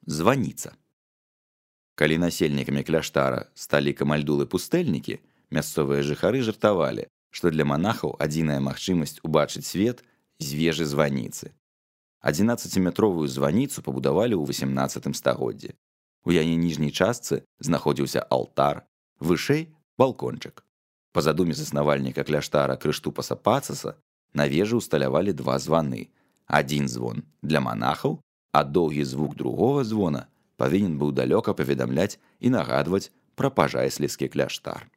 Званіца. Калі насельнікамі кляштара сталі камальдулы-пустэльнікі, мясцовыя жыхары жартавалі, што для манахаў адзіная магчымасць убачыць свет з вежы званіцы. 11-метровую званіцу пабудавалі ў 18 стагоддзі. У яе ніжняй частцы знаходзіўся алтар, вышэй балкончык. Па задуме заснавальніка кляштара Крыштупаса Пацаса на вежы ўсталявалі 2 званы. Адзін звон для манахаў, а доўгі звук другога звона павінен быў далёка паведамляць і нагадваць пра пажайслівскі кляштар.